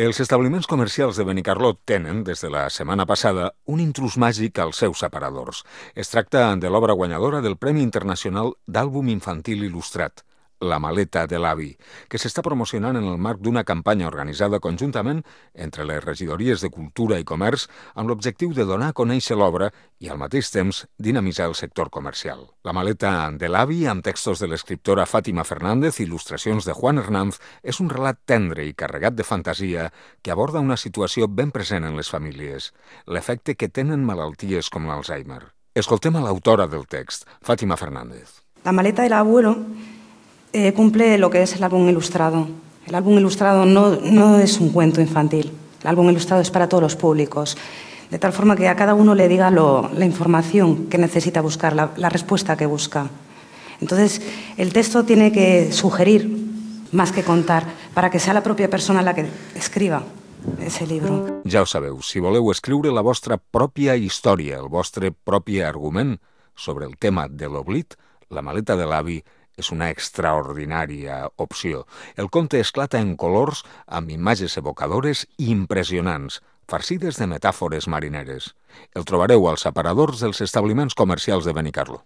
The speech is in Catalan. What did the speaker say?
Els establiments comercials de Benicarló tenen, des de la setmana passada, un intrus màgic als seus aparadors. Es tracta de l'obra guanyadora del Premi Internacional d'Àlbum Infantil Il·lustrat, La maleta de l'avi, que s'està promocionant en el marc d'una campanya organitzada conjuntament entre les regidories de Cultura i Comerç amb l'objectiu de donar a conèixer l'obra i, al mateix temps, dinamitzar el sector comercial. La maleta de l'avi, amb textos de l'escriptora Fàtima Fernández i il·lustracions de Juan Hernández, és un relat tendre i carregat de fantasia que aborda una situació ben present en les famílies, l'efecte que tenen malalties com l'Alzheimer. Escoltem a l'autora del text, Fàtima Fernández. La maleta del abuelo cumple lo que es el álbum ilustrado. El álbum ilustrado no es un cuento infantil. El álbum ilustrado es para todos los públicos, de tal forma que a cada uno le diga la información que necesita buscar, la respuesta que busca. Entonces, el texto tiene que sugerir más que contar, para que sea la propia persona la que escriba ese libro. Ja ho sabeu, si voleu escriure la vostra pròpia història, el vostre propi argument sobre el tema de l'oblit, La maleta de l'avi és una extraordinària opció. El conte esclata en colors amb imatges evocadores i impressionants, farcides de metàfores marineres. El trobareu als aparadors dels establiments comercials de Benicarló.